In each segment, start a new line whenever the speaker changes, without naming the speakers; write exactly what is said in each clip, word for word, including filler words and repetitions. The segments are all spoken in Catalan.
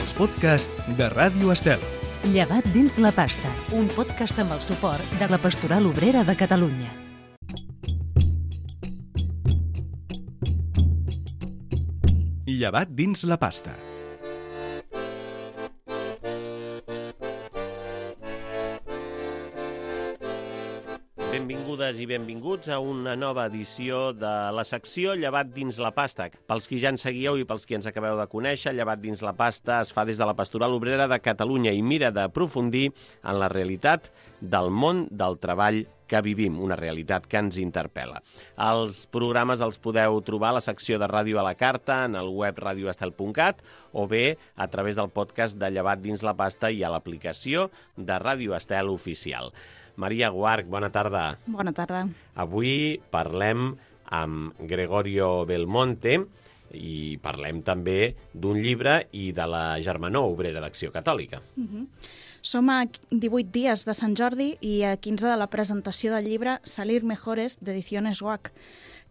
els podcasts de Ràdio Estel.
Llevat dins la pasta, un podcast amb el suport de la Pastoral Obrera de Catalunya.
Llevat dins la pasta.
Benvingudes i benvinguts a una nova edició de la secció Llevat dins la pasta. Pels qui ja ens seguieu i pels qui ens acabeu de conèixer, Llevat dins la pasta es fa des de la Pastoral Obrera de Catalunya i mira d'aprofundir en la realitat del món del treball que vivim, una realitat que ens interpel·la. Els programes els podeu trobar a la secció de Ràdio a la Carta, en el web radioestel punt cat, o bé a través del podcast de Llevat dins la pasta i a l'aplicació de Ràdio Estel Oficial. Maria Guarch, bona tarda.
Bona tarda.
Avui parlem amb Gregorio Belmonte i parlem també d'un llibre i de la Germanor Obrera d'Acció Catòlica.
Uh-huh. Som a divuit dies de Sant Jordi i a quinze de la presentació del llibre Salir Mejores, d'Ediciones O H.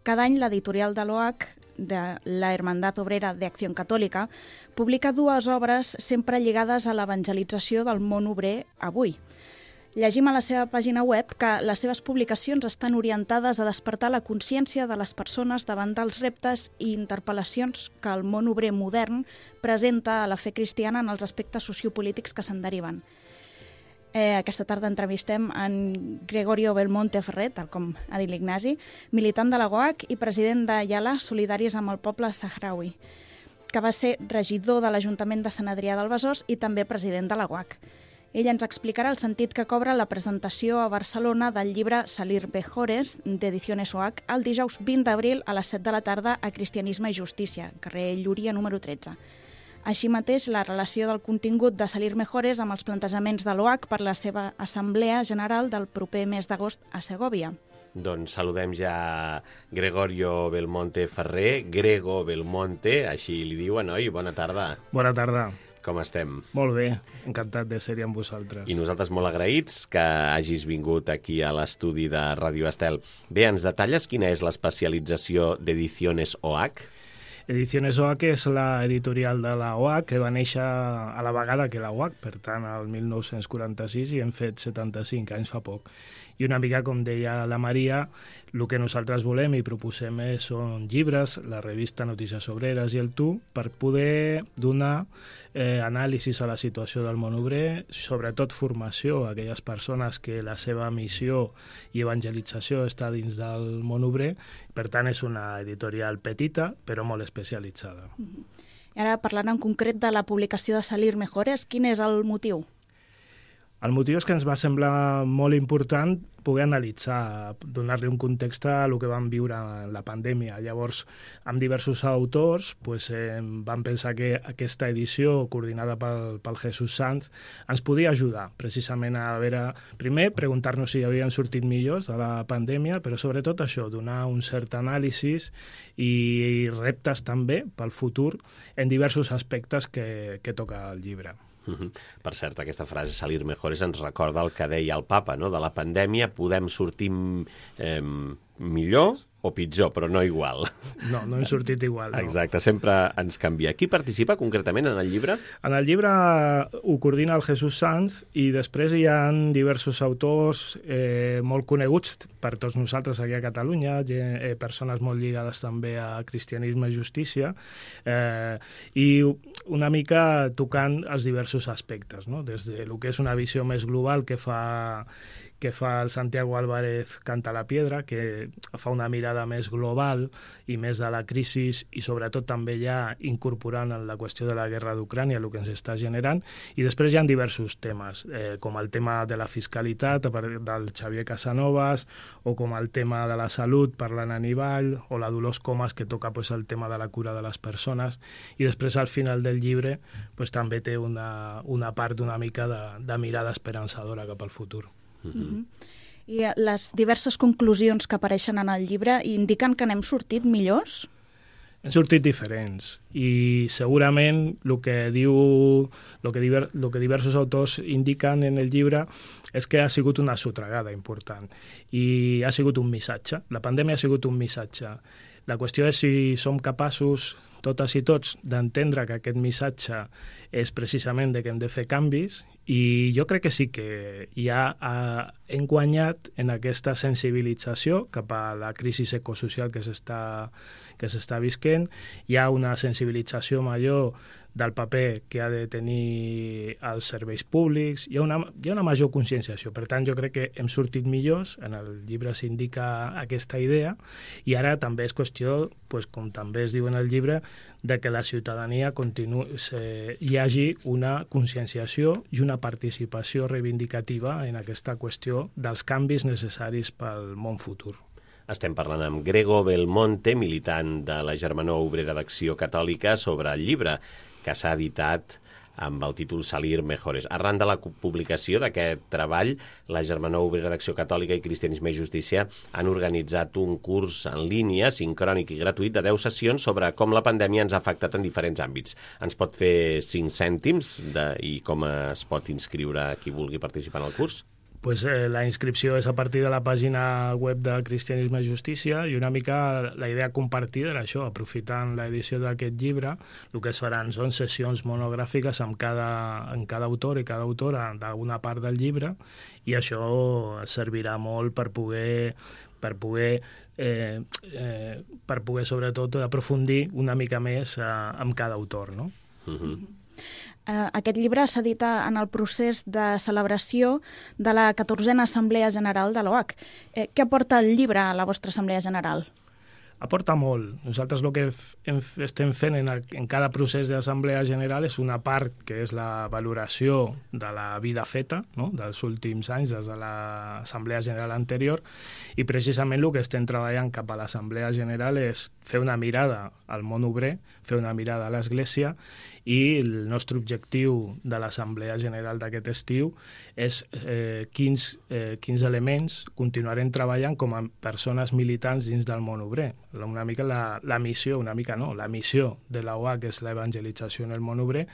Cada any l'editorial de l'O H, de la Hermandad Obrera de Acción Católica, publica dues obres sempre lligades a l'evangelització del món obrer avui. Llegim a la seva pàgina web que les seves publicacions estan orientades a despertar la consciència de les persones davant dels reptes i interpel·lacions que el món obrer modern presenta a la fe cristiana en els aspectes sociopolítics que se'n deriven. Eh, aquesta tarda entrevistem en Gregorio Belmonte Ferrer, tal com ha dit l'Ignasi, militant de la O H i president de Yala, Solidaris amb el poble sahraui, que va ser regidor de l'Ajuntament de Sant Adrià del Besòs i també president de la O H. Ell ens explicarà el sentit que cobra la presentació a Barcelona del llibre Salir Mejores, d'Ediciones O H, el dijous vint d'abril a les set de la tarda a Cristianisme i Justícia, carrer Llúria número tretze. Així mateix, la relació del contingut de Salir Mejores amb els plantejaments de l'O H per la seva Assemblea General del proper mes d'agost a Segòvia.
Doncs saludem ja Gregorio Belmonte Ferrer, Grego Belmonte, així li diuen, oi? Bona tarda.
Bona tarda.
Com estem?
Molt bé, encantat de ser-hi amb vosaltres.
I nosaltres molt agraïts que hagis vingut aquí a l'estudi de Ràdio Estel. Bé, ens detalles quina és l'especialització d'Ediciones O H?
Ediciones O H és l'editorial de la O H, que va néixer a la vegada que la O H, per tant, el mil nou-cents quaranta-sis, i hem fet setanta-cinc anys fa poc. I una mica, com deia la Maria, el que nosaltres volem i proposem són llibres, la revista Notícies Obreres i el Tu, per poder donar eh, anàlisis a la situació del món obrer, sobretot formació a aquelles persones que la seva missió i evangelització està dins del món obrer. Per tant, és una editorial petita, però molt especialitzada.
I ara, parlant en concret de la publicació de Salir Mejores, quin és el motiu?
El motiu és que ens va semblar molt important poder analitzar, donar-li un context a el que vam viure en la pandèmia. Llavors, amb diversos autors, pues, eh, vam pensar que aquesta edició, coordinada pel, pel Jesús Sanz, ens podia ajudar precisament a veure, primer, preguntar-nos si havien sortit millors de la pandèmia, però sobretot això, donar un cert anàlisi i reptes també pel futur en diversos aspectes que, que toca el llibre.
Uh-huh. Per cert, aquesta frase, Salir Mejores, ens recorda el que deia el papa, no? De la pandèmia podem sortir eh, millor o pitjor, però no igual.
No, no hem sortit igual. No.
Exacte, sempre ens canvia. Qui participa concretament en el llibre?
En el llibre ho coordina el Jesús Sanz i després hi ha diversos autors eh, molt coneguts per tots nosaltres aquí a Catalunya, eh, persones molt lligades també a Cristianisme i Justícia, eh, i una mica tocant els diversos aspectes, no? Des de lo que és una visió més global que fa que fa el Santiago Álvarez Canta la Piedra, que fa una mirada més global i més de la crisi i sobretot també ja incorporant en la qüestió de la guerra d'Ucrània, el que ens està generant, i després hi ha diversos temes, eh, com el tema de la fiscalitat del Xavier Casanovas, o com el tema de la salut per l'Anna Nivall, o la Dolors Comas, que toca pues, el tema de la cura de les persones, i després al final del llibre pues, també té una, una part una mica de, de mirada esperançadora cap al futur.
Uh-huh. I les diverses conclusions que apareixen en el llibre indiquen que n'hem sortit millors?
Hem sortit diferents i segurament el que diu el que, diver, el que diversos autors indiquen en el llibre és que ha sigut una sotregada important i ha sigut un missatge. La pandèmia ha sigut un missatge. La qüestió és si som capaços totes i tots d'entendre que aquest missatge és precisament de que hem de fer canvis, i jo crec que sí que ja hem guanyat en aquesta sensibilització cap a la crisi ecosocial que s'està que s'està visquent. Hi ha una sensibilització major del paper que ha de tenir els serveis públics, hi ha una, hi ha una major conscienciació. Per tant, jo crec que hem sortit millors, en el llibre s'indica aquesta idea, i ara també és qüestió, pues, com també es diu en el llibre, de que la ciutadania continu... hi hagi una conscienciació i una participació reivindicativa en aquesta qüestió dels canvis necessaris pel món futur.
Estem parlant amb Grego Belmonte, militant de la Germanor Obrera d'Acció Catòlica, sobre el llibre que s'ha editat amb el títol Salir Mejores. Arran de la publicació d'aquest treball, la Germanor Obrera d'Acció Catòlica i Cristianisme i Justícia han organitzat un curs en línia, sincrònic i gratuït, de deu sessions sobre com la pandèmia ens ha afectat en diferents àmbits. Ens pot fer cinc cèntims de, i com es pot inscriure qui vulgui participar en el curs?
Pues, eh, la inscripció és a partir de la pàgina web de Cristianisme i Justícia, i una mica la idea compartida era això, aprofitant l'edició d'aquest llibre, el que es faran són sessions monogràfiques amb cada, amb cada autor i cada autora d'una part del llibre, i això servirà molt per poder per poder, eh, eh, per poder sobretot aprofundir una mica més eh, amb cada autor, no?
Uh-huh.
Uh, aquest llibre s'edita en el procés de celebració de la catorzena Assemblea General de l'O H. Eh, què aporta el llibre a la vostra Assemblea General?
Aporta molt. Nosaltres el que f- estem fent en, el, en cada procés d'Assemblea General és una part que és la valoració de la vida feta, no?, dels últims anys, des de l'Assemblea General anterior, i precisament el que estem treballant cap a l'Assemblea General és fer una mirada al món obrer, fer una mirada a l'Església, i el nostre objectiu de l'Assemblea General d'aquest estiu és eh, quins, eh, quins elements continuarem treballant com a persones militants dins del món obrer. Una mica la, la missió, una mica no, la missió de la O H és l'evangelització en el món obrer,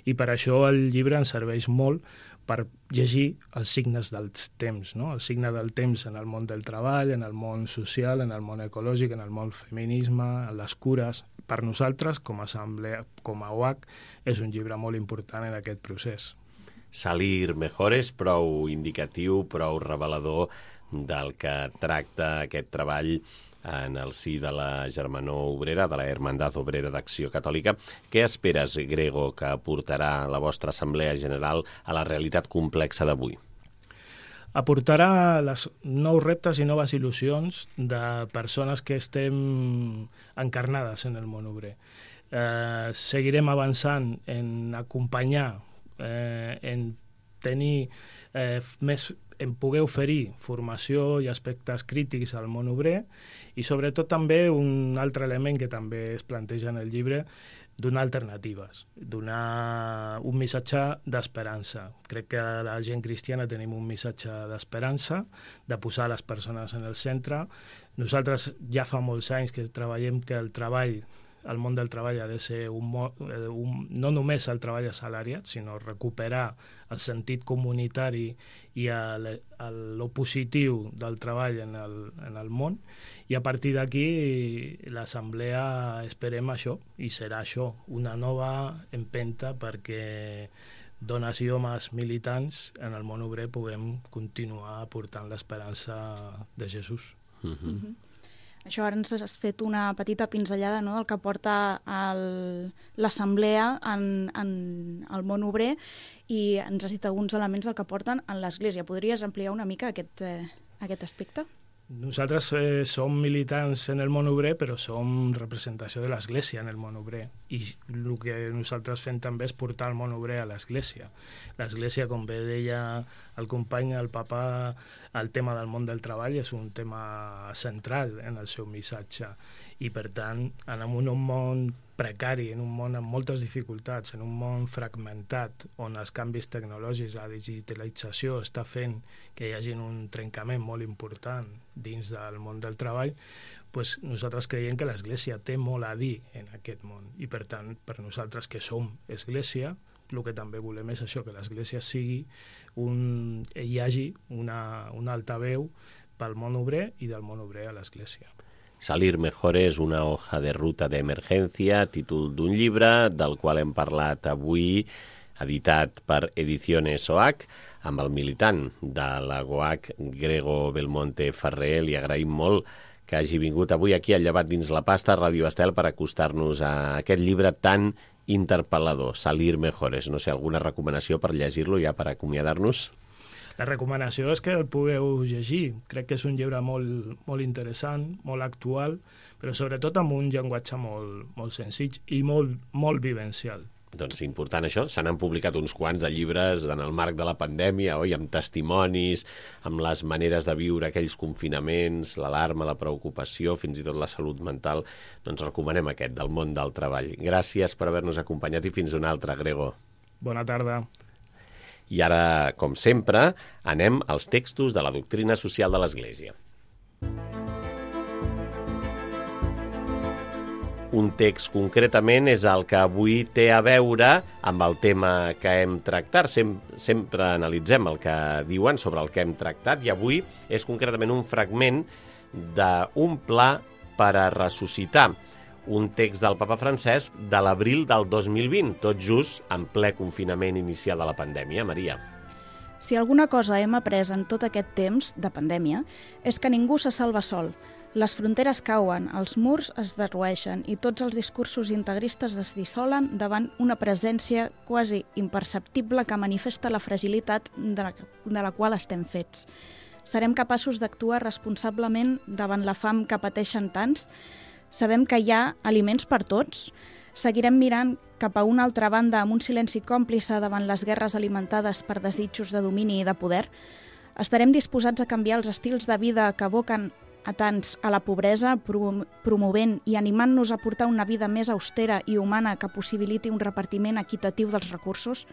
i per això el llibre ens serveix molt per llegir els signes dels temps, no? El signe del temps en el món del treball, en el món social, en el món ecològic, en el món feminisme, en les cures. Per nosaltres, com a assemblea, com a O H, és un llibre molt important en aquest procés.
Salir Mejores, prou indicatiu, prou revelador del que tracta aquest treball en el si de la Germanor Obrera, de la Hermandad Obrera d'Acció Catòlica. Què esperes, Grego, que aportarà la vostra Assemblea General a la realitat complexa d'avui?
Aportarà les nous reptes i noves il·lusions de persones que estem encarnades en el món obrer. Eh, seguirem avançant en acompanyar, eh, en tenir eh, més en poder oferir formació i aspectes crítics al món obrer, i sobretot també un altre element que també es planteja en el llibre, donar alternatives, donar un missatge d'esperança. Crec que la gent cristiana tenim un missatge d'esperança, de posar les persones en el centre. Nosaltres ja fa molts anys que treballem que el treball, el món del treball ha de ser un, un, no només el treball assalariat, sinó recuperar el sentit comunitari i el, el, lo positiu del treball en el, en el món, i a partir d'aquí l'assemblea esperem això, i serà això, una nova empenta perquè dones i homes militants en el món obrer puguem continuar portant l'esperança de Jesús.
Uh-huh.
Mm-hmm. Això ara ens has fet una petita pinzellada, no?, del que porta l'assemblea en, en el món obrer, i ens has dit alguns elements del que porten en l'Església. Podries ampliar una mica aquest, eh, aquest aspecte?
Nosaltres eh, som militants en el món obrer, però som representació de l'Església en el món obrer, i el que nosaltres fem també és portar el món obrer a l'Església. L'Església, com bé deia el company, el papa, el tema del món del treball és un tema central en el seu missatge, i per tant, en un món precari, en un món amb moltes dificultats, en un món fragmentat, on els canvis tecnològics, la digitalització està fent que hi hagi un trencament molt important dins del món del treball, pues nosaltres creiem que l'Església té molt a dir en aquest món, i per tant, per nosaltres que som Església, el que també volem és això, que l'Església sigui un, hi hagi una, una altaveu pel món obrer i del món obrer a l'Església.
Salir mejor és una hoja de ruta d'emergència, títol d'un llibre del qual hem parlat avui, editat per Ediciones O H, amb el militant de la G O H, Grego Belmonte Ferrer. Li agraïm molt que hagi vingut avui aquí al Llevat dins la pasta, a Ràdio Estel, per acostar-nos a aquest llibre tan interpel·lador, Salir Mejores. No sé, alguna recomanació per llegir-lo ja per acomiadar-nos?
La recomanació és que el pugueu llegir. Crec que és un llibre molt, molt interessant, molt actual, però sobretot amb un llenguatge molt, molt senzill i molt, molt vivencial.
Doncs important això, se n'han publicat uns quants de llibres en el marc de la pandèmia, oi? Amb testimonis, amb les maneres de viure aquells confinaments, l'alarma, la preocupació, fins i tot la salut mental. Doncs recomanem aquest, del món del treball. Gràcies per haver-nos acompanyat i fins una altra, Grego.
Bona tarda.
I ara, com sempre, anem als textos de la doctrina social de l'Església. Un text concretament és el que avui té a veure amb el tema que hem tractat. Sem sempre analitzem el que diuen sobre el que hem tractat i avui és concretament un fragment d'un pla per a ressuscitar, un text del papa Francesc de l'abril del dos mil vint, tot just en ple confinament inicial de la pandèmia. Maria.
Si alguna cosa hem après en tot aquest temps de pandèmia és que ningú se salva sol. Les fronteres cauen, els murs es derrueixen i tots els discursos integristes es dissolen davant una presència quasi imperceptible que manifesta la fragilitat de la, de la qual estem fets. Serem capaços d'actuar responsablement davant la fam que pateixen tants? Sabem que hi ha aliments per tots? Seguirem mirant cap a una altra banda amb un silenci còmplice davant les guerres alimentades per desitjos de domini i de poder? Estarem disposats a canviar els estils de vida que aboquen a tants a la pobresa, promovent i animant-nos a portar una vida més austera i humana que possibiliti un repartiment equitatiu dels recursos?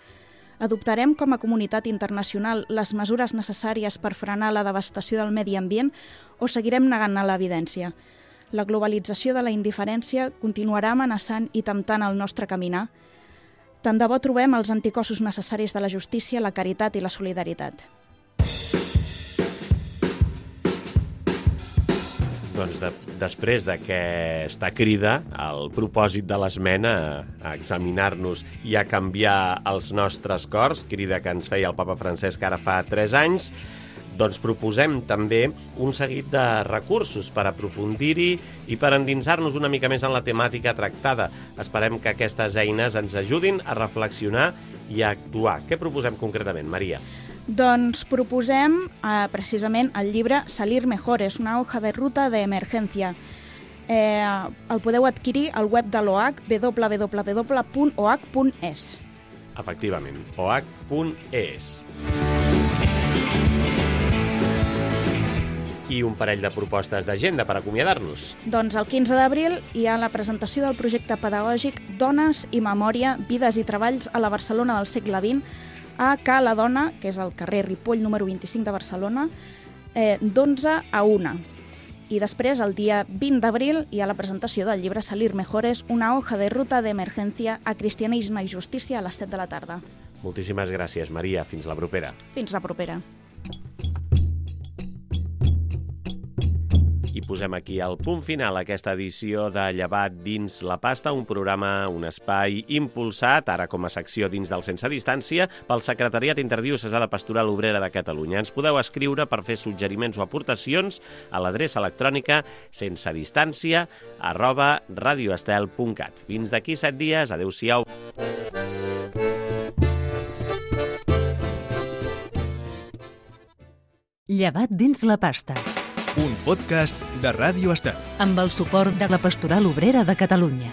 Adoptarem com a comunitat internacional les mesures necessàries per frenar la devastació del medi ambient o seguirem negant l'evidència? La globalització de la indiferència continuarà amenaçant i temptant el nostre caminar? Tant de bo trobem els anticossos necessaris de la justícia, la caritat i la solidaritat.
Doncs de, després d'aquesta crida, el propòsit de l'esmena a examinar-nos i a canviar els nostres cors, crida que ens feia el papa Francesc ara fa tres anys, doncs proposem també un seguit de recursos per aprofundir-hi i per endinsar-nos una mica més en la temàtica tractada. Esperem que aquestes eines ens ajudin a reflexionar i a actuar. Què proposem concretament, Maria?
Doncs proposem eh, precisament el llibre Salir Mejores, una hoja de ruta d'emergència. Eh, el podeu adquirir al web de l'O H, w w w punt o h punt e s.
Efectivament, o h punt e s. I un parell de propostes d'agenda per acomiadar-nos.
Doncs el quinze d'abril hi ha la presentació del projecte pedagògic Dones i Memòria, Vides i Treballs a la Barcelona del segle vint, a Ca la Dona, que és al carrer Ripoll número vint-i-cinc de Barcelona, eh, d'onze a una. I després, el dia vint d'abril, hi ha la presentació del llibre Salir Mejores, una hoja de ruta d'emergència a cristianisme i justícia a les set de la tarda.
Moltíssimes gràcies, Maria. Fins la propera.
Fins la propera.
I posem aquí el punt final a aquesta edició de Llevat dins la pasta, un programa, un espai impulsat, ara com a secció dins del Sense Distància, pel Secretariat Interdiocesà de Pastoral Obrera de Catalunya. Ens podeu escriure per fer suggeriments o aportacions a l'adreça electrònica sensedistància arroba radioestel punt cat. Fins d'aquí set dies. Adéu-siau.
Llevat dins la pasta.
Un podcast de Ràdio Estel.
Amb el suport de la Pastoral Obrera de Catalunya.